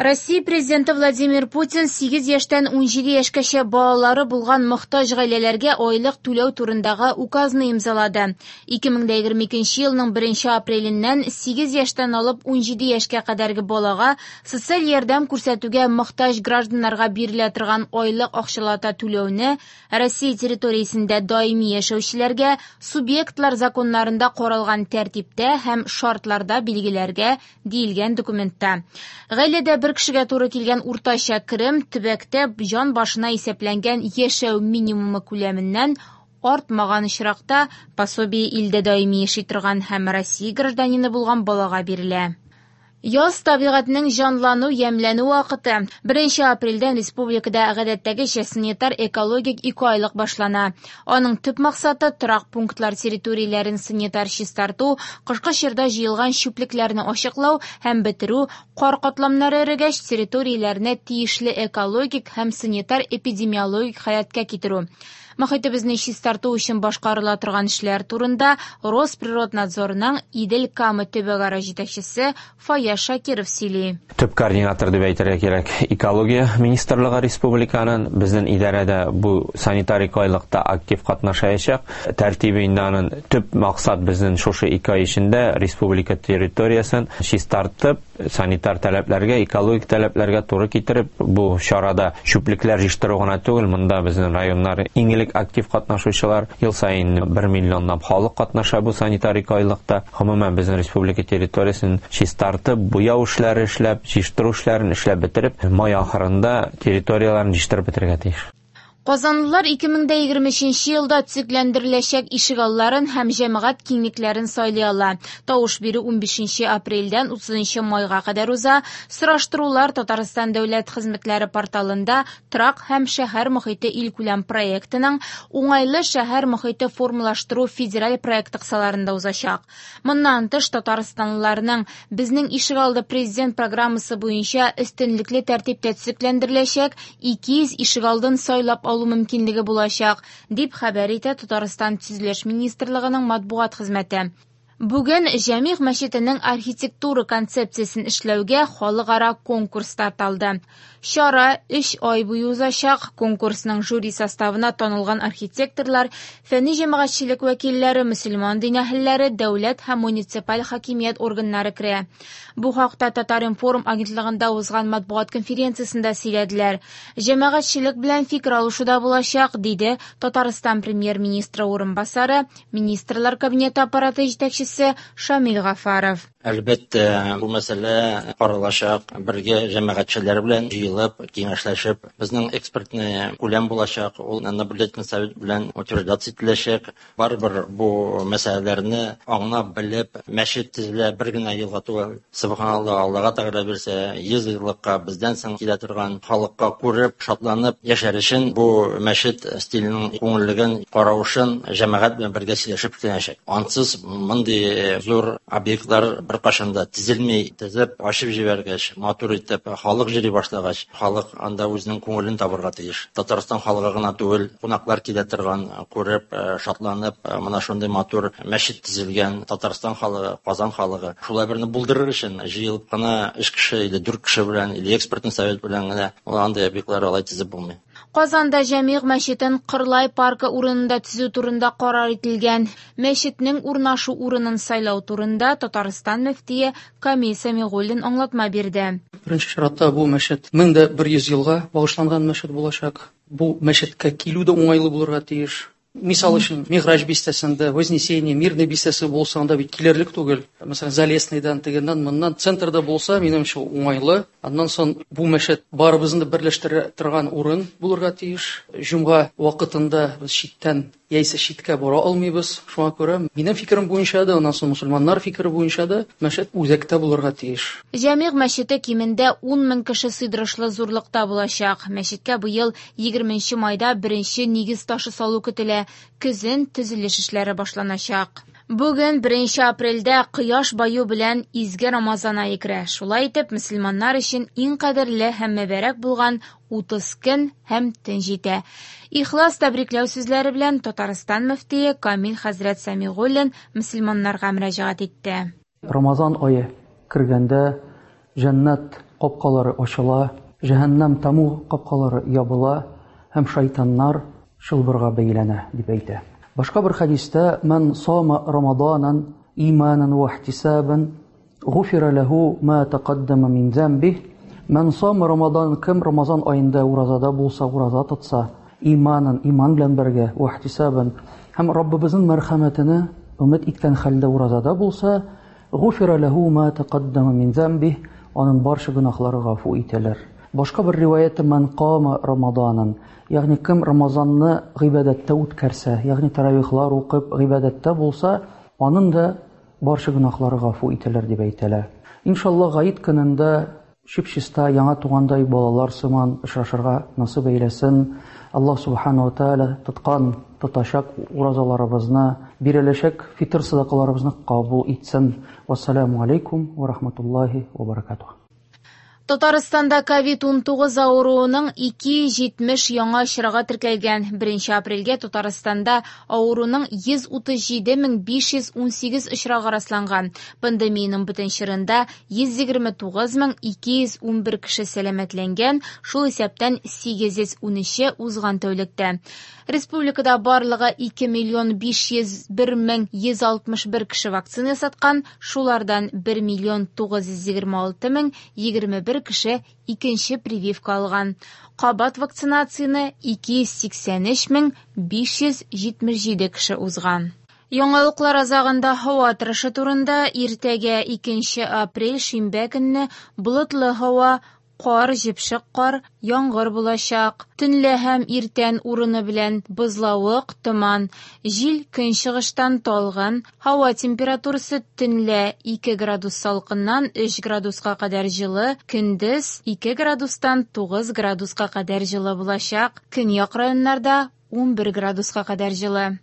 Россия Президенты Владимир Путин 8 яшьтән 17 яшькәчә балалары булган мохтаҗ гаиләләргә айлык түләү турындагы указны имзалады. 2022 елның 1 апреленнән 8 яшьтән алып 17 яшькә кадәрге балага социаль ярдәм күрсәтүгә мохтаҗ гражданнарга бирелә торган айлык акчалата түләүне Россия территориясендә даими яшәүчеләргә субъектлар законнарында каралган тәртиптә һәм шартларда билгеләргә диелгән документта. Гаиләдә бер кешегә туры килгән уртача керем төбәктә җан башына исәпләнгән яшәү минимумы күләменнән артмаган очракта пособие илдә даими яши торган һәм Россия гражданины булган балага бирелә. Яз табигатьнең җанлану, ямьләнү вакыты. 1 апрельдән республикада гадәттәгечә санитар-экологик икеайлык башлана. Аның төп максаты торак пунктлар территорияләрен санитар чистарту, кышкы чорда җыелган чүплекләрне ачыклау һәм бетерү, кар катламнары эрегәч территорияләрне тиешле экологик һәм санитар-эпидемиологик халәткә китерү. Мохитебезне чистарту өчен башкарыла торган эшләр турында Росприроднадзорның Идел-Кама төбәкара җитәкчесе Фаяз Шакиров сөйли. Төп координатор дип әйтергә кирәк экология министрлыгы республиканың. Безнең идарәдә бу санитар икеайлыкта актив катнашаячак. Тәртибе инде аның төп максат безнең шушы ике ай эчендә республика территориясен чистартып, санитар таләпләргә, экологик таләпләргә туры китереп, бу чарада чүплекләр җыештыру гына түгел, монда безнең районнар иң элек актив катнашучылар, ел саен 1 миллионлап халык катнаша бу санитар икеайлыкта. Гомумән, безнең республика территориясен чистартып, буяу эшләре эшләп, җыештыру эшләрен эшләп бетереп, май ахырында территорияләрен җыештырып бетерергә тиеш. Казанлылар 2023 елда төзекләндереләчәк ишегалларын һәм җәмәгать киңлекләрен сайлый ала. Тавыш бирү 15 апрельдән 30 майга кадәр уза. Сораштырулар Татарстан дәүләт хезмәтләре порталында Торак һәм шәһәр мохите илкүләм проектының Уңайлы шәһәр мохите формалаштыру федераль проекты кысаларында узачак. Моннан тыш, татарстанлыларның Безнең ишегалды президент программасы буенча өстенлекле тәртиптә төзекләндереләчәк 200 ишегалдын сайлап алу мөмкинлеге булачак, дип хәбәр итә Татарстан Төзелеш министрлыгының матбугат хезмәте. Бүген Җәмигъ мәчетенең архитектура концепциясен эшләүгә халыкара конкурс старт алды. Чара өч ай буе узачак. Конкурсның жюри составына танылган архитекторлар, фәнни җәмәгатьчелек вәкилләре, мөселман дин әһелләре, дәүләт һәм муниципаль хакимият органнары керә. Бу хакта Татар-информ агентлыгында узган матбугат конференциясендә сөйләделәр. Җәмәгатьчелек белән фикер алышу да булачак, диде Татарстан Премьер-министры урынбасары, Министрлар Кабинеты аппараты җитәкчесе Шамил Гафаров. Әлбәттә, бу мәсьәлә каралачак, бергә җәмәгатьчеләр белән җыелып, киңәшләшеп, безнең экспертный күләм булачак, ул наблюдательный совет белән утверждаться ителәчәк. Барыбер бу мәсьәләләрне аңлап, белеп, мәчет төзелә бер генә елга түгел, сөбханалла, Аллага Тәгалә бирсә, 100 еллыкка бездән соң килә торган халыкка күреп, шатланып яшәр өчен бу мәчет стиленең күңеллеген, каравышын җәмәгать белән бергә сөйләшеп эшләнәчәк. Ансыз мондый зур объектлар беркайчан да төзелми. Төзеп, ачып җибәргәч, матур итеп, халык йөри башлагач, халык анда үзенең күңелен табырга тиеш. Татарстан халыгы гына түгел, кунаклар килә торган, күреп, шатланып, менә шундый матур мәчет төзелгән, Татарстан халыгы, Казан халыгы. Шулай берне булдырыр өчен җыелып кына өч кеше или дүрт кеше белән, или экспертный совет белән генә ул андый объектлар алай төзеп булмый. Казанда Җәмигъ мәчетен Кырлай паркы урынында төзү турында карар ителгән. Мәчетнең урнашу урынын сайлау турында Татарстан мөфтие Камил Сәмигуллин аңлатма бирде. Беренче чиратта бу мәчет 1100 елга багышланган мәчет булачак. Бу мәчеткә килү дә уңайлы булырга тиеш. Мисал өчен, Миграҗ бистәсендә, Вознесение, Мирный бистәсе булса, анда бит килерлек түгел. Мәсәлән, Залесныйдан, тегеннән, моннан центрда булса, минемчә, уңайлы. Аннан соң бу мәчет барыбызны да берләштерә торган урын булырга тиеш. Җомга вакытында без читтән яисә читкә бара алмыйбыз. Шуңа күрә, минем фикерем буенча да, аннан соң мөселманнар фикере буенча да, мәчет үзәктә булырга тиеш. Җәмигъ мәчете кимендә ун мең кеше сыйдырышлы зурлыкта булачак. Мәчеткә быел Егерменче майда беренче нигез ташы салу көтелә, көзен төзелеш эшләре башланачак. Бүген, беренче апрельдә, кояш баю белән изге Рамазан ае керә. Шулай итеп, мөселманнар өчен иң кадерле һәм мөбарәк булган 30 көн һәм төн җитә. Ихлас тәбрикләү сүзләре белән Татарстан мөфтие Камил хәзрәт Сәмигуллин мөселманнарга мөрәҗәгать итте. Рамазан ае кергәндә җәннәт. капкалары ачыла, җәһәннәм таму капкалары ябыла һәм шайтаннар чылбырга бәйләнә, дип әйтә. Башка бер хәдистә: "Ман сама Рамаданан иманан ва ихтисабан, гуфира ләһу ма тaqaddama мин замбих". Ман сама Рамадан, кем Рамазан аенда уразада булса, ураза тотса, иманан, иман белән бергә, ва ихтисабан, һәм Раббыбызның мәрхәмәтенә өмет иткән хәлдә уразада булса, гуфира ләһу ма тaqaddama мин замбих, аның барча гөнаһлары гафу ителер. Башка бер риваятта: "Ман кама Рамаданан", ягъни кем Рамазанны гыйбадәттә үткәрсә, ягъни таравихлар укып гыйбадәттә булса, аның да барча гөнаһлары гафу ителер, дип әйтелә. Иншалла, гает көнендә чип-чиста яңа тугандай балалар сыман очрашырга насыйп әйләсен. Аллаһ субхану ва тааля тоткан, тотачак уразаларыбызны, биреләчәк фитр садакаларыбызны кабул итсен. Вассаламу алейкум ва рахматуллахи ва баракатух. Татарстанда COVID-19 авыруының 270 яңа очрагы теркәлгән. 1 апрельгә Татарстанда авыруның 137 518 очрагы расланган. Пандемиянең бөтен чорында 129 211 кеше сәламәтләнгән, шул исәптән 813-е узган тәүлектә. Республикада барлыгы 2 миллион 501 мең 161 кеше вакцина ясаткан, шулардан 1 миллион 926 мең 21 кеше икенче прививка алган. Кабат вакцинацияне 283 мең 577 кеше узган. Яңалыклар азагында һава торышы турында: иртәгә, 2 апрель, шимбә көнне болытлы һава, кар, җепшек кар, яңгыр булачак. Төнлә һәм иртән урыны белән бозлавык, томан. Җил көнчыгыштан талгын. Һава температурасы төнлә 2 градус салкыннан 3 градуска кадәр җылы, көндез 2 градустан 9 градуска кадәр җылы булачак. Көньяк районнарда 11 градуска кадәр җылы.